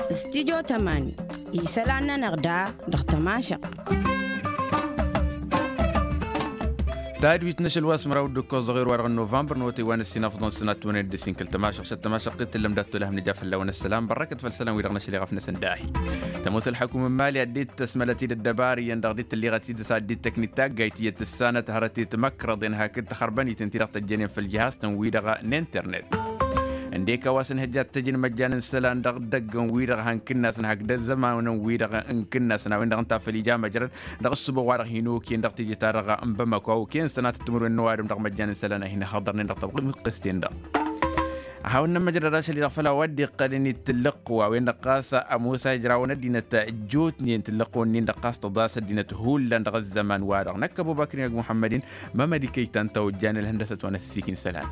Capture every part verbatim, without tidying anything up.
Studio tămani. Isălan-nănăɣ da dăɣ-tămašăɣt. Tadwit n-ašăl wa s-măraw d-ǝkkoẓ dăɣ-erwa dăɣ-novămbăr n-otăy wa n-ăssin afḍăn sănat tăwănen d-ăssin kăl-tămašăɣt šăt tămašăɣt t-tǝllăm dat-tolăhăm nǝja fălla-wen ăssălam bărrăkăt făll-isălan wi-dăɣ n-ašăl iɣăf-năsăn dahi. Tămoos ălḥăkum n-imali ad-dd-tăsmălăt-dd ăddăbar iyyăn dăɣ-dd-tǝlliɣăt-dd s-ad-dd-tăknit taggayt iyyăt tǝssanăt hărăt i-timăkrăḍen hakd tăxărbănit ǝnta-i-dăɣ tăjjănen făll-jihaz-tăn-wi-dăɣ n-internet. Ǝndek a-wa s-ănhăjja ad-tăj n-imăjjan n-isălan dăɣ-idăggăn-wi-dăɣ han kǝnnasăn hakd ăzzămanăn-wi-dăɣ n-kǝnnasăn a-wen-dăɣ ǝnta a făl ija măjrăd dăɣ-ǝssǝbo wa-dăɣ hin-okăyăn dăɣ-teje-ta-dăɣ n-bamako a okăyăn sănatăt timǝrwen n-ăwadǝm dăɣ-imăjjan n-isălan a hin-ăhhăḍărnen dăɣ-tăbɣimǝqqes-ten-dăɣ. Ad-hawăn-nămmăjrăd ad-ašăl-i-dăɣ făll-a-wa dd-iqqălăn i-tǝllǝqqu a-wen-dăɣ ɣas ămoos a ijrawăn ăddinăt ăjjootnen tǝllǝqqu-nin-dăɣ ɣas tăḍas ăddinăt hullan dăɣ-ăzzăman-wa-dăɣ năkk ăbubăkr inăgg muḥămmăd-in. Mămăd ikăy ta ǝnta ojjan ălhăndăsăt wa n-ăssiik n-isălan.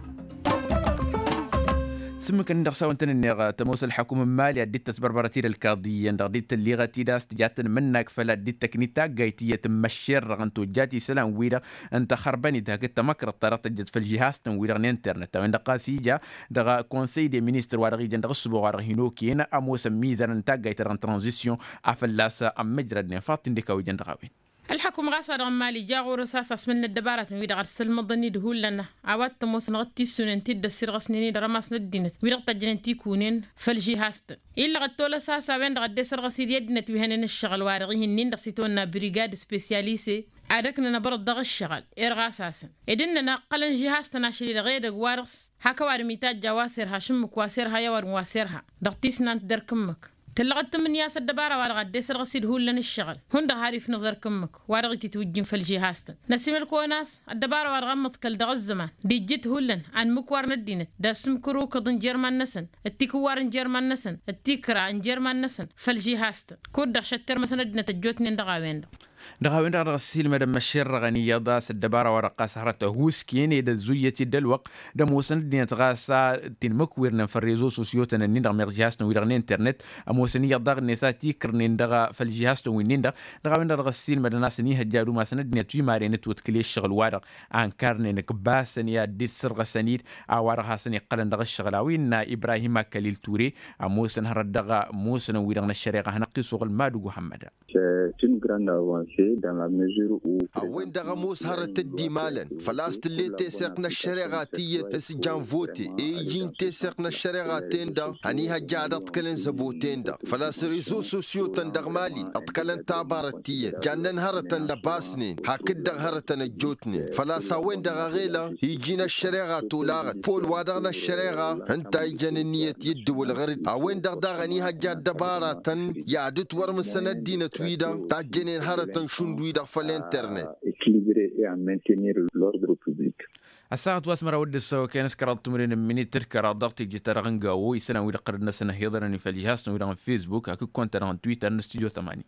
S-ǝmmǝk-nin-dăɣ s-a-wen-tăn-ǝnneɣ tămoos ălḥăkum n-imali ad-dd-tăsbărbărăt-dd ălkaḍi iyyăn dăɣ-dd-tǝlliɣăt-dd a-s tǝjat tǝnmǝnnag făll-ad-dd-tăknit taggayt iyyăt n-măššerrăɣăn tojjat isălan-wi-dăɣ n-taxărbănit hakd tamăkrăḍt ta dăɣ-tăjjăt făll-žihaz-tăn-wi-dăɣ n-internet a-wen-dăɣ ɣas ija dăɣ-konsăy de ministăr wa dăɣ-ijăn dăɣ-ǝssǝbo wa dăɣ-hin-okăyăn ămoosăn mizărăn n-taggayt-ta-dăɣ n-tranzisyon a fălla-s ămmǝjrădnen faḍt-in d-ikaw ijăn dăɣ-a-wen. Ălḥăkum ɣas wa dăɣ-n mali ja ɣur-s a-s asmǝl n-ăddăbaratăn-wi-dăɣ ad-sălmăḍăn-dd hullan a-wa t-ămoosăn ɣǝttisunen ti dd-ăssirɣăsnen-dd rămas n-ăddinăt wi-dăɣ tăjjănen tikunen făll-žihaz-tăn. Illăɣ ăttolăs a-s a-wen-dăɣ ăddesărɣăs-dd i-ăddinăt wi hănen ǝššăɣǝl-wa-dăɣ ih'-ǝnnin-dăɣ s-itawănna brigad spesialise ad-ăknăn abărăḍ dăɣ-ǝššăɣǝl. Irɣas-asăn ed ǝnnăn a ǝqqălăn žihaz-tăn ašăl-i-dăɣ edăgg-wa-dăɣ s-hak ăwadǝm itajj a-wa s-irha ašǝmmǝk wa s-irha i-ăwadǝm wa s-irha dăɣ-tisnant d-erk ǝmmǝk. Tǝllăɣăt tǝmmǝnǝya s-ăddăbara-wa-dăɣ ad-dd-esărɣăs-dd hullan ǝššăɣǝl hundăɣ har ifnǝẓ erk ǝmmǝk wa dăɣ-ititwǝjjǝn făll-žihaz-tăn. Năsimăl-kăwăn a-s ăddăbara-wa-dăɣ ămmăḍkăl dăɣ-ăzzăman d-ijjǝt hullan anmǝkwar n-ăddinăt d-asǝmkăr ukǝḍ n-jer-iman-năsăn d-tikǝwwar n-jer-iman-năsăn d-tikra n-jer-iman-năsăn făll-žihaz-tăn. Kud-dăɣ šăttermăsăn ăddinăt ăjjootnen dăɣ-a-wen-dăɣ. Dăɣ-a-wen-dăɣ dăɣ-ăssiilmădăn măššerrăɣăn iyyăḍ a-s ăddăbara-wa-dăɣ ɣas hărăt ăhuusken ed ăzzuyăt-dd ălwăqq d-ămoosăn ăddinăt ɣas a t-inmǝkwirnen făll-rezo sosyo-tăn-ǝnnin dăɣ-meɣ žihaz-tăn-wi-dăɣ n-internet. Ămoosăn iyyăḍ daɣ-net a t-ikrnen dăɣ-făll-žihaz-tăn-winnin-dăɣ. Dăɣ-a-wen-dăɣ dăɣ-ăssiilmădăn a-s ănihăjja ad-umasăn ăddinăt wi maren ătwătkǝl i-ǝššăɣǝl-wa-dăɣ a ǝnkărnen ǝkbasăn i-ad-dd-sărɣăsăn-dd a-wa-dăɣ hasăn-iqqălăn dăɣ-ǝššăɣǝl a-wa innă ibrahim akălil ture. Ămoosăn hărăt dăɣ-musǝnăn-wi-dăɣ n-ăššăreɣa hanăɣ-t-isuɣǝl madǝg uhammăda. A-wen-dăɣ ămoos hărăt dd-imalăn făl-a-s tǝll'-e teseɣt n-ăššăreɣa tiyyăt s-jan vote e iji n-teseɣt n-ăššăreɣa-ten-dăɣ ănihăjja ad-ăḍkălăn zăbo-ten-dăɣ făl-a-s rezo sosyo-tăn dăɣ-mali ǝḍkălăn tabarăt tiyyăt jannen hărătăn lăbasnen hakd-dăɣ hărătăn ăjjootnen făl-a-s a-wen-dăɣ ăɣelăɣ iji n-ăššăreɣa tolaɣăt pol-wa-dăɣ n-ăššăreɣa ǝnta a ijăn ǝnniyăt i-ǝddǝwǝl ɣăr-dd a-wen-dăɣ daɣ ănihăjja ăddăbaratăn i-ad-ǝtwărmǝsăn ăddinăt-wi-dăɣ tajjănen hărătăn šund-wi-dăɣ făll-internet. Ăkilibire e a maintenir lordru publik. Ăssaɣăt wa s-măraw d-ǝssăwăken s-kăraḍ timǝrwen n-minit d-kăraḍ dăɣ-teje-ta-dăɣ n-gawo isălan-wi-dăɣ ɣărăd-năsăn ăhiḍărăn i-făll-žihaz-tăn-wi-dăɣ n-fesbuk hakd kăwăn-ta-dăɣ n-twitter n-studyo tămani.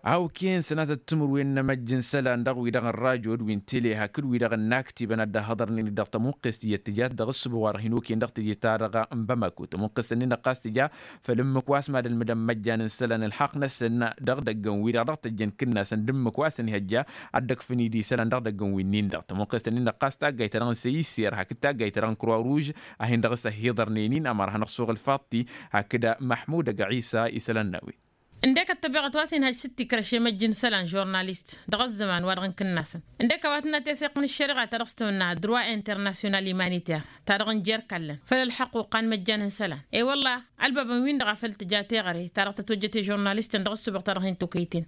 A okăyăn sănatăt timǝrwen n-emăjj n-isălan dăɣ-wi-dăɣ n-rajo d-wi n-tele hakd wi-dăɣ n-inaktibăn ad-dd-ăhhăḍărnen-dd dăɣ-tămuqqest iyyăt tǝjat dăɣ-ǝssǝbo wa dăɣ-hin-okăyăn dăɣ-teje-ta-dăɣ n-bamako tămuqqest-nin-dăɣ ɣas tǝja făll-ǝmmǝk wa s-mad-ălmǝdăn imăjjan n-isălan ălxaqq-năsăn dăɣ-idăggăn-wi-dăɣ dăɣ-tăjjăn kǝnnasăn d-ǝmmǝk wa s-ănhăjja ad-dd-ăkfǝn-dd isălan dăɣ-idăggăn-wi-nin-dăɣ tămuqqest-nin-dăɣ ɣas taggayt-ta-dăɣ n-săyser hakd taggayt-ta-dăɣ n-croix rouge a hin-dăɣ-s ăhhiḍărnen-in ămăra hanăɣ-suɣǝl faḍt-i hakd măḥmud ăgg-ɣisa isălan n-a-wen. Ǝndek ăttăbeɣăt wa s-inhăj s-dd-tikrăš i-măjj n-isălan žurnalist dăɣ-ăzzăman wa dăɣ-n kǝnnasăn ǝndek a-wa tǝnna teseɣt n-ăššăreɣa ta dăɣ-s tămănna droit international humanitaire ta dăɣ-n jer-kallăn făll-ălḥăqquqa n-imăjjan n-isălan. E-wălla ălbabăn-win-dăɣ a făl tǝja teɣăre ta dăɣ-tătwăjjăt i-žurnalistăn dăɣ-ǝssǝbăɣ ta dăɣ-hin-tokăyten.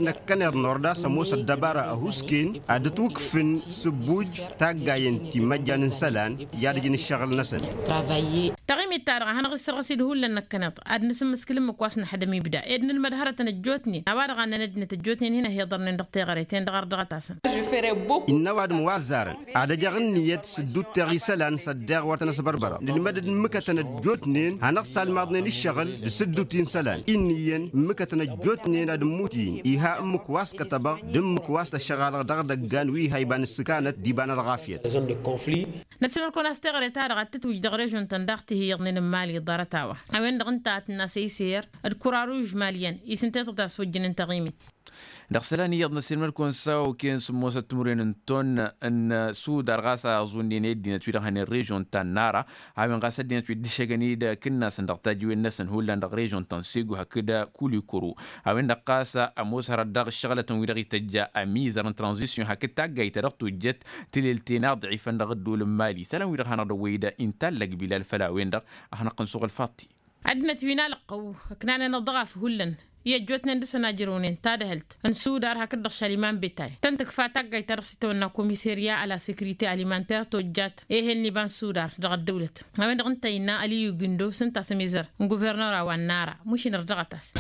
Năkkăneḍ n-orda s-ămoos ăddăbara ăhuusken ad-ǝtwǝkfǝn s-ǝbbuj taggayen ti n-imăjjan n-isălan i-ad-ǝjǝn ǝššăɣǝl-năsăn. Taɣimit-ta-dăɣ a hanăɣ-issărɣǝs-dd hullan năkkăneḍ ad-nǝsǝmmǝskǝl ǝmmǝk wa s-nǝḥdăm ibda ed nǝlmăd hărătăn ăjjootnen a-wa-dăɣ a ǝnnăn ăddinăt ăjjootnen hin-ăhiḍărnen dăɣ-teɣăre-ten-dăɣ ardăɣăt-asăn. Innă ăwadǝm wa ăzzarăn ad-ăjăɣ ǝnniyăt s-dd-utteɣ isălan s-ăddeɣ wăr tăn-ăsbărbărăɣ nǝlmăd-dd ǝmmǝkătăn ăjjootnen hanăɣ-salmaḍnen ǝššăɣǝl d-asǝddut-i n-isălan. Ǝnniyăn ǝmmǝkătăn ăjjootnen ad-ǝmmut-in iha ǝmmǝk wa s-kătăbăɣ d-ǝmmǝk wa s-tăššăɣalăɣ dăɣ-idăggan wi iha iba n-ǝssǝkanăt d-iba n-ălɣafyăt. Năssimăl-kăwăn a-s teɣăre-ta-dăɣ ad-tǝtwǝj dăɣ-režon-tăn daɣ tihiyyăḍnen n-imali ḍarăt-a-wa a-wen-dăɣ ǝnta a tǝnna săyser d-kuraruž Žmaliyan isǝnta i-tăḍa s-wăjjăn n-taɣimit. Dăɣ-isălan iyyăḍ n-ăssiilmăd-kăwăn s-a okăyăn sǝmmosăt timǝrwen n-ton n-sudar ɣas a ăẓunnen i-ăddinăt wi-dăɣ hănen režon ta n-nara. A-wen ɣas ăddinăt wi dd-ǝššăgăn-dd akǝnnas-n dăɣ-tajiwen-năsăn hullan dăɣ-režon ta n-segu hakd kulikuru. A-wen-dăɣ ɣas ămoos hărăt daɣ ǝššăɣlătăn wi-dăɣ ităjja ămizăr n-tranzisyon hakd taggayt ta dăɣ-tojjăt tǝlel-ten aḍɣifăn dăɣ-ăddol n-mali isălan wi-dăɣ hanăɣ-dd-ăwwăy-dd inta ăllăgbilal făll-a-wen-dăɣ. A hanăɣ-tăn-suɣǝl faṭṭi. Ăddinăt wi n-alăqqăw ǝknanen aḍɣaf hullan i-ăjjootnen dăr-săn ajrăwnen tadhǝlt n-sudar hakd-dăɣ šaliman betay tăn-tǝkfa taggayt ta dăɣ-s itawănna komiserya a la sekirite alimanter tojjat ehel n-iba n-sudar dăɣ-ăddăwlăt. A-wen-dăɣ ǝnta innă ăliyu gindo s-ǝnta a-s ămizăr n-guvernăra wa n-nara mušin ărdăɣăt-as.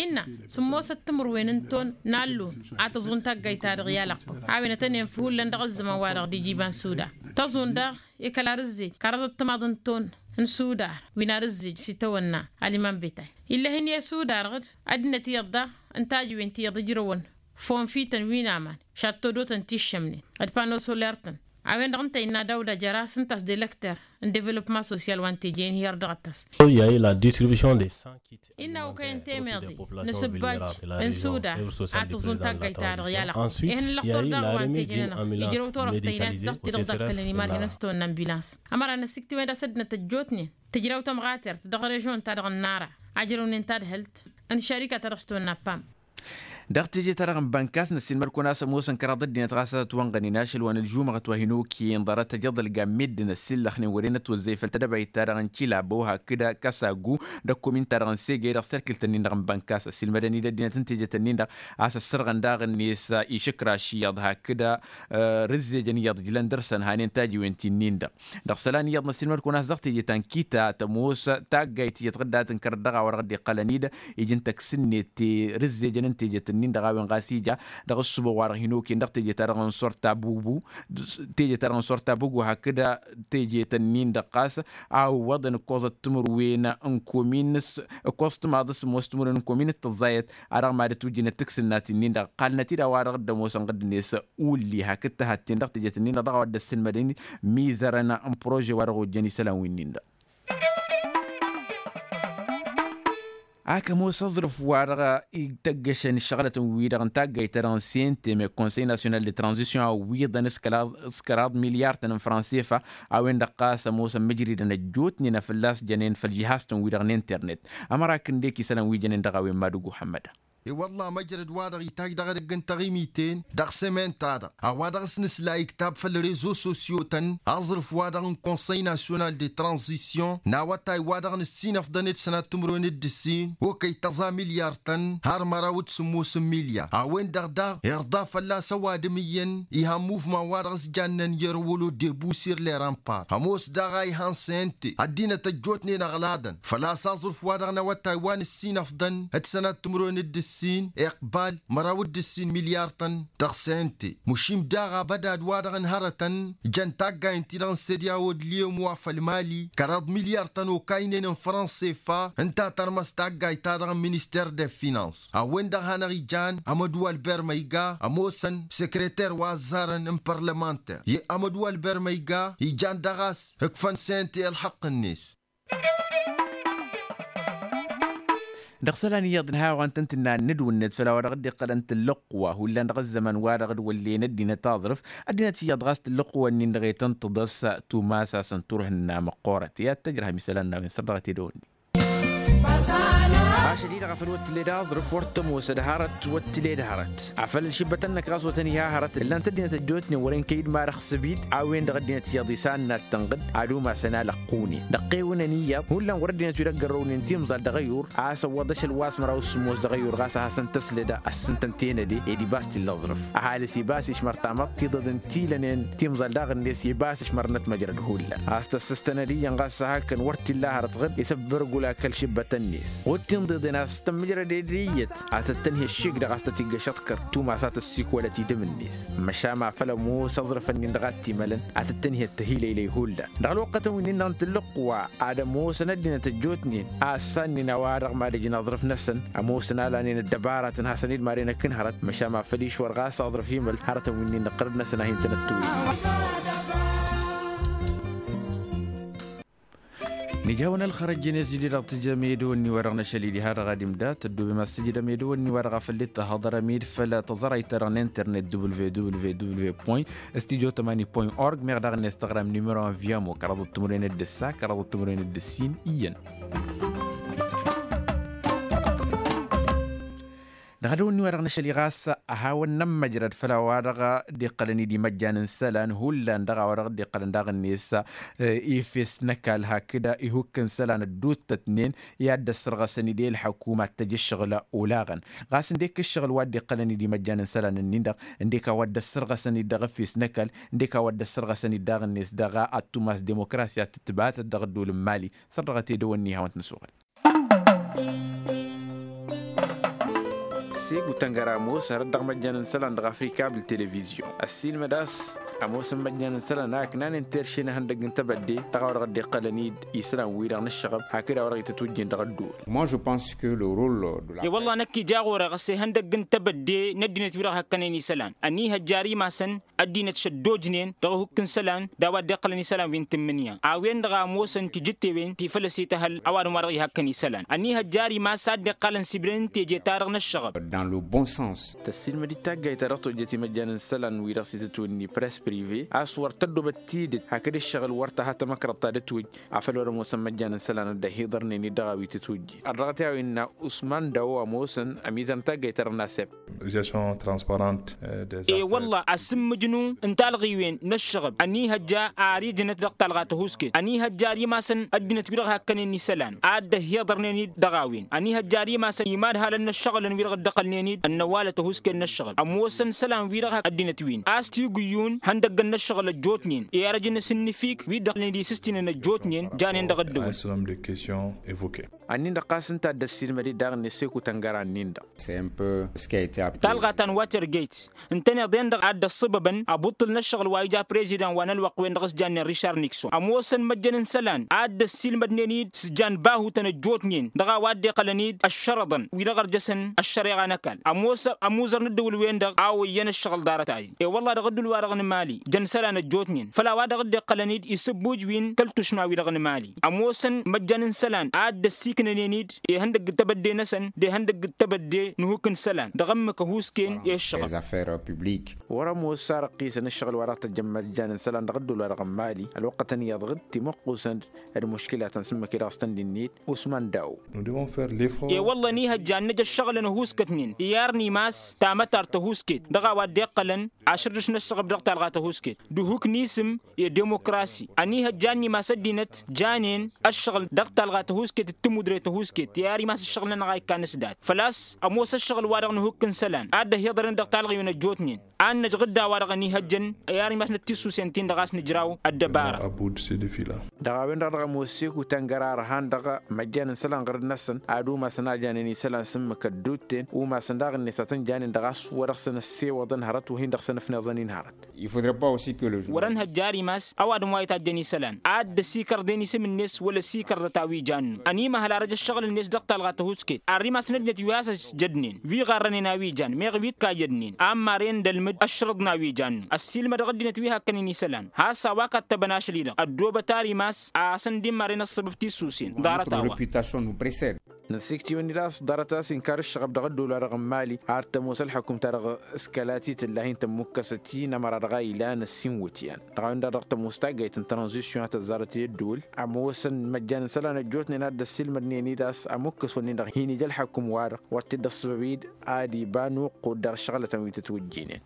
Innă sǝmmosăt timǝrwen n-ton n-allun a tăẓun taggayt-ta-dăɣ i-alăqqăw a-wen ătănen făw hullan dăɣ-ăzzăman-wa-dăɣ d-iji iba n-sudar tăẓun daɣ i-kăla rǝzzej kăraḍăt timaḍ n-ton n-sudar wi n-ad-ǝzzej s-itawănna aliman betay. Ill'-e-hin i-sudar ɣǝd ăddinăt iyyăḍ daɣ n-tajǝwen ti iyyăḍ ǝjrăwăn fonfităn wi n-aman šattodotăn ti ǝššămnen d-pano soler-tăn. A-wen-dăɣ ǝnta innă dawda jăra s-ǝnta a-s delăkter n-developma sosyal wa n-teje-in hi-ărdăɣăt-as. Innă okăyăn temeḍe n-asǝbbaj n-sudar a tăẓun taggayt-ta-dăɣ i-alăqqăw. Ih'-nănăɣ turdaɣ wa n-teje-nănăɣ ijrăw turăft ăynat dăɣ-ti-dăɣ ḍakkălăn imarhen s-tawănna n-bilans. Ămăra n-ăsiktǝwen d-a-s ăddinăt ăjjootnen tǝjraw tămɣatert dăɣ-režon-ta-dăɣ n-nara ajrăwnen tadhǝlt n-šarika-ta-dăɣ s-tawănna pam. Dăɣ-teje-ta-dăɣ n-bănkas năssiilmăd-kăwăn a-s ămoosăn kăraḍ ăddinăt ɣas a tătwănɣănen ašăl wa n-ălžumăɣăt wa hin-okăyăn ḍarăt ăjăḍălga n-meddǝn ăssillăxnen wăren ătwăzzăy făll-tedăbayt-ta-dăɣ n-kilabo hakd kasagu d-ăkkomin-ta-dăɣ n-sege dăɣ-serkǝl-tăn-in-dăɣ n-bănkas ăssiilmădăn-dd ăddinăt n-teje-tăn-in-dăɣ a-s ăssărɣăn daɣ-net išǝkraš iyyăḍ hakd rǝzzejăn iyyăḍ ǝjlăn dăr-săn hanen tajiwen ti-nin-dăɣ. Dăɣ-isălan iyyăḍ năssiilmăd-kăwăn a-s dăɣ-teje ta n-kita tămoos taggayt tiyyăt ɣǝdda tǝnkăr dăɣ-a-wa dăɣ-dd-iqqălăn-dd iji n-tăks-net. Rǝzzejăn n-tejet-nin-dăɣ a-wen ɣas ija dăɣ-ǝssǝbăɣ wa dăɣ-hin-okăyăn dăɣ-teje-ta-dăɣ n-sort tabubu teje-ta-dăɣ n-sort tabubu hakd teje-tăn-nin-dăɣ ɣas a ǝwwăḍăn ǝkkoẓăt timǝrwen n-komin ǝkkoẓ timaḍ s-ămoos timǝrwen n-komin d-tăẓẓayăt a dăɣ-mad-ătwǝjjǝnăt tǝks-năt-nin-dăɣ ǝqqalnăt-dd a-wa dăɣ-dd-ămoosăn ɣǝdd-net. Ulli hakd tăhatten dăɣ-tejet-nin-dăɣ dăɣ-a-wa dd-ăssǝlmădăn mizărăn n-prože wa dăɣ-ojjăn isălan wi-nin-dăɣ. Ak ămoos aẓrǝf wa dăɣ-ităggăšăn ǝššăɣlătăn-wi-dăɣ n-taggayt-ta-dăɣ n-sente me-konsăy nasyonal de tranzisyon a ǝwwiḍăn s-kăraḍ milyar-tăn n-fransefa. A-wen-dăɣ ɣas ămoosăn mǝjridăn ăjjootnen a fălla-s jănen făll-žihaz-tăn-wi-dăɣ n-internet. Ămăra kǝndek isălan wi jănen dăɣ-a-wen madǝgu hămmăda. I-wălla măjrăd wa dăɣ-itajj dăɣ-edăgg n-taɣimiten dăɣ-sămen-ta-dăɣ a-wa dăɣ-s nǝsla iktab făll-rezo sosyo-tăn aẓrǝf-wa-dăɣ n-konsăy nasyonal de tranzisyon n-awătay wa dăɣ-nǝssinăfḍăn d-sănat timǝrwen d-ǝssin okăy tăẓa milyar-tăn har măraw d-sǝmmos n-milyar a-wen-dăɣ daɣ irḍa fălla-s ăwadǝm iyyăn ihan muvman wa dăɣ-s jannen yerwălo debusir leran par ămoos daɣ a ihan sente ăddinăt ăjjootnen ăɣladăn făl-a-s aẓrǝf wa dăɣ-năwătay wa nǝssinăfḍăn d-sănat timǝrwen d-ǝssin iqbal măraw d-ǝssin milyar-tăn. Dăɣ-sente măšin daɣ abădad wa dăɣ-n hărătăn jăn taggay n-ti-dăɣ n-sădyawo d-liyăm wa făll-mali kăraḍ milyar-tăn okaynen n-fransefa ǝnta tărmăs taggayt-ta-dăɣ n-minister de finans a-wen-dăɣ hanăɣ-ijan amădwal bermăyga ămoosăn sekreter wa ăzzarăn n-părlămanter i-amădwal bermăyga ijan dăɣ-a-s ǝkfăn sente ălxăqq-net. Dăɣ-isălan iyyăḍ n-ha-wa n-tăn-tǝnna n-inǝdwǝnnet făll-a-wa dăɣ-dd-iqqălăn tǝllǝqq wa hullan dăɣ-ăzzăman wa dăɣ-dd-wăllen ăddinăt aẓrǝf ăddinăt iyyăḍ ɣas tǝllǝqq-wăn-in-dăɣ i-tăn-tǝḍăs tumas a-s n-turhǝnna măqqoorăt i-ad-tăjrăhăm isălan n-a-wen săr dăɣ-t edăwănni. Ašăl-i-dăɣ afăl wăr t-tǝled aẓrǝf wăr t-ămoosăd hărăt wăr t-tǝled hărăt afăl ălšǝbbătăn-năk ɣas wăr tăn-iha hărăt ǝllan-t ăddinăt ăjjootnen wăren kăy-dd marăxsăb-dd a-wen-dăɣ ăddinăt iyyăḍ isannat tănɣǝd ad-umasăn alăqqune dăɣ-qewǝnăn iyyăḍ hullan wăr ăddinăt wi dăgg-ărrăwnen timẓal dăɣ-ăyur a-s ăwwăḍ ašăl wa s-măraw s-sǝmmos dăɣ-ăyur ɣas a hasăn-tăslăd a s-sǝntăn tenăde ed ibas t-illa aẓrǝf ăhalǝs ibas išmăr tamăḍt tiḍăḍen ti lănen timẓal daɣ-net ibas išmărnăt măjrăd hullan a-s tăssăstănăd iyyăn ɣas a hakăn wăr t-illa hărăt ɣǝd isăbbărgul akăl šǝbbătăn-net wăr t-inḍeḍen a-s tămmǝjrăd ed iyyăt a tăt-tănhe ăššik-dăɣ a-s tăt-iggăš aḍkăr tumas a tăssikwălăt idǝm-net măšan ma făl ămoos aẓrǝf-nin-dăɣ a t-imălăn a tăt-tănhe ăttăhilăylăy hullan dăɣ-ălwăqqătăn wi-nin-dăɣ n-tǝllǝqq wa ad-ămoosăn ăddinăt ăjjootnen a ăssannen a-wa-dăɣ mad-ǝjǝn aẓrǝf-năsăn ămoosăn a lanen ăddăbaratăn hasăn-dd maren ăkk n-hărăt măšan ma făl išwăr ɣas aẓrǝf imăl hărătăn wi-nin-dăɣ ɣărăd-năsăn a hin-tăn-ăttuwǝy. Nǝja a-wen ălxărăjjăn i-s jǝdid dăɣ-tǝjjăm edăwănni-wa-dăɣ n-ašăl-i diha-dăɣ ad-imda tăddoobem a-s tǝjdăm edăwănni-wa-dăɣ a făl dd-tăhăḍărăm-dd făll-tăẓrayt-ta-dăɣ n-internet www point studio tămani point org meɣ daɣ-net tăɣrăm numero n-viamo kăraḍăt timǝrwen d-ǝssa kăraḍăt timǝrwen d-ǝssin iyyăn. Dăɣ-edăwănni-wa-dăɣ n-ašăl-i ɣas a hawăn-nămmăjrăd făll-a-wa-dăɣ dd-iqqălăn-dd imăjjan n-isălan hullan dăɣ-a-wa-dăɣ dd-iqqălăn daɣ-net efes n-ăkall hakd ihukk n-isălan ădduuttătnen i-ad-dd-ăssărɣăsăn-dd i-ălḥăkuma ad-tăj ǝššăɣǝl olaɣăn. Ɣas ǝndek ǝššăɣǝl wa dd-iqqălăn-dd imăjjan n-isălan-ǝnnin-dăɣ ǝndek a-wa dd-ăssărɣăsăn-dd dăɣ-efes n-ăkall ǝndek a-wa dd-ăssărɣăsăn-dd daɣ-net dăɣ-ad-tumas demokrasya tǝtbatăt dăɣ-ădduul n-mali. Săr dăɣ-t edăwănni hawăn-t-nǝsuɣăl. Segu tăngăra ămoos hărăt dăɣ-imăjjan n-isălan dăɣ-afrika bǝl televizyon ăssiilmăd a-s ămoosăn imăjjan n-isălan a ǝknanen terše n-ehăndăgg n-tebădde dăɣ-a-wa dăɣ-dd-iqqălăn-dd isălan-wi-dăɣ n-ǝššăɣăb hakd a-wa dăɣ-itǝtwǝjjen dăɣ-ădduul. Moi je pense que le role de la presse. E-wălla năkk ija ɣur-e ɣas ihăndăgg n-tebădde n-ăddinăt-wi-dăɣ hakkănen isălan ănihăjja ar imasăn ăddinăt šăddojnen dăɣ-ehukk n-isălan d-a-wa dd-iqqălăn isălan wi n-tǝmmǝnǝya a-wen-dăɣ a ămoosăn tijǝttewen ti făl ăsităhăl ăwadǝm wa dăɣ-ihakkăn isălan ănihăjja ar imas a dd-iqqalăn sibnen n-teje-ta-dăɣ n-ăššăɣăb. Dans le bon sens. Tăssiilmăd-dd taggayt ta dăɣ-tojjăt imăjjan n-isălan-wi-dăɣ s-itǝtwǝnni press prive a-s wăr tăddobăt tidǝt hakd ǝššăɣǝl wăr tăha tamăkrăḍt ta d-ătwǝjj afăl wăr ămoosăn imăjjan n-isălan a dd-ăhiḍărnen-dd dăɣ-a-wi tǝtwǝjjen. Ărdăɣăt i-a-wa innă usman dawo ămoosăn ămizăr n-taggayt-ta-dăɣ n-asep. Gestion transparente. E-wălla asǝmmǝjnu n-talɣiwen n-ăššăɣăb ănihăjja ar ijnăt dăɣ-talɣa tăhusket ănihăjja ar imasăn ăddinăt-wi-dăɣ hakkănen isălan a dd-ăhhiḍărnen-dd dăɣ-a-wen ănihăjja ar imasăn imadhalăn n-ăššăɣǝlăn-wi-dăɣ dd-ăqqălnen-dd ănnăwalăt tăhusket n-ăššăɣǝl ămoosăn isălan-wi-dăɣ ăddinăt-win a-s tigǝyyun ihăndăggăn n-ăššăɣǝl ăjjootnen i-arăj n-asǝnnǝfik wi dd-ăqqălnen d-isǝstinăn ăjjootnen janen dăɣ-ăddăwăl. Ănnin-dăɣ ɣas ǝnta a dd-ăssiilmăd-dd daɣ-net seku tăngăra-nin-dăɣ. Talɣa ta n-watergate ǝntăneḍ-en-dăɣ a dd-ăṣṣăbăbăn abuṭṭǝl n-ăššăɣǝl wa ija prezidan wa n-ălwăqq-wen-dăɣ s-jannen rišar nikson ămoosăn imăjjăn n-isălan a dd-ăssiilmădnen-dd s-jan bahutăn ăjjootnen dăɣ-a-wa dd-iqqălăn-dd ăššărăḍăn wi-dăɣ ărjăsăn ăššăreɣa n-ăkall ămoosăn ămuzăr n-ǝddǝwǝl-wen-dăɣ a oyyăn ăššăɣǝl ḍarăt-ahi. E-wălla dăɣ-ǝddǝwǝl-wa-dăɣ n-mali jăn isălan ăjjootnen făll-a-wa dăɣ-dd-iqqălăn-dd isǝbbuj wi n-kăl-tušma wi-dăɣ n-mali ămoosăn imăjjan n-isălan a dd-ăssiiknănen-dd ihăndăgg d-tebădde-năsăn d-ihăndăgg d-tebădde n-ehuk n-isălan dăɣ-ǝmmǝk ăhuusken i-ǝššăɣǝl. Wăr-ămoos a răqqisăn ǝššăɣǝl wa dăɣ-tăjjăn imăjjan n-isălan dăɣ-ădduul wa dăɣ-n mali ălwăqqătăn iyyăḍ ɣǝd timǝqqusăn d-muškǝlatăn s-ǝmmǝk-i-dăɣ s-tăn-dd-innit. Usman dawo. E-wălla ănihăjja ad-năj ăššăɣǝlăn ăhuuskătnen i-ar n-imas tamătart tăhuusket dăɣ-a-wa dd-iqqălăn ašărdăš n-ăššăɣǝb dăɣ-talɣa tăhuusket d-ehuk n-isǝm i-dimokrasi ănihăjja ad-nimas ăddinăt janen ăššăɣǝl dăɣ-talɣa tăhuusket d-timudre tăhuusket i-ar imas ăššăɣǝl-nănăɣ a ikkan s-dat făl-a-s ămoos ăššăɣǝl-wa-dăɣ n-ehuk n-isălan a dd-ăhhiḍărnen dăɣ-talɣiwen ăjjootnen a n-năj ɣǝdda wa-dăɣ ănihăjjăn i-ar imas n-ăttissusen-tin-dăɣ a-s nǝjraw ăddăbara. Dăɣ-a-wen-dăɣ dăɣ-ămoos seku tăngăra ărhan dăɣ-măjjan n-isălan ɣǝrǝd-năsăn ad-umasăn a janen isălan s-ǝmmǝk ădduutten umasăn daɣ-net ad-tăn-janen dăɣ-a-s wăr-dăɣ-săn ăssewăḍăn hărăt wăr hin-dăɣ-săn ăfniẓăn-in hărăt. Wăr-ănhăjja ar imas ăwadǝm wa ităjjăn isălan a dd-ăsikărden isǝm-net wăla ăsikărdăt a-wi jannu ănimăhăl arăj ăššăɣǝl-net dăɣ-talɣa tăhusket ar imasăn ăddinăt wi has-ăjjădnen wi ɣarrănen a-wi jan meɣ wi t-kayyădnen a ămmaren d-ălmǝd ăšrăḍ n-a-wi jannu ăssiilmădăɣ ăddinăt wi hakkănen isălan has-a-wa kattăbăn ašăl-i-dăɣ ăddoobăt ar imas a hasăn-dd-imaren ăṣṣăbăb tissusen ḍarăt-a-wa. Năsikt'-iwăn-dd a-s ḍarăt a-s inkar ǝššăɣăb dăɣ-ădduul-wa-dăɣ n-mali ar tămoos ălḥăkum-ta-dăɣ s-kăla ti tǝlla hin-tămmukkăsăt i-inămăra dăɣ-a ilan ăssiinwǝtyan dăɣ-a-wen-dăɣ dăɣ-tămoos taggayt n-tranzisyon a tăzzarăt i-ădduul ămoosăn imăjjan n-isălan ăjjootnen a dd-ăssiilmădnen-dd a-s ămukkăs-wăn-in-dăɣ hin-ija ălḥăkum-wa-dăɣ wăr t-dd-ăṣṣăbăb-dd ad-iba n-uqqud dăɣ-ǝššăɣlătăn wi tătwǝjjinen.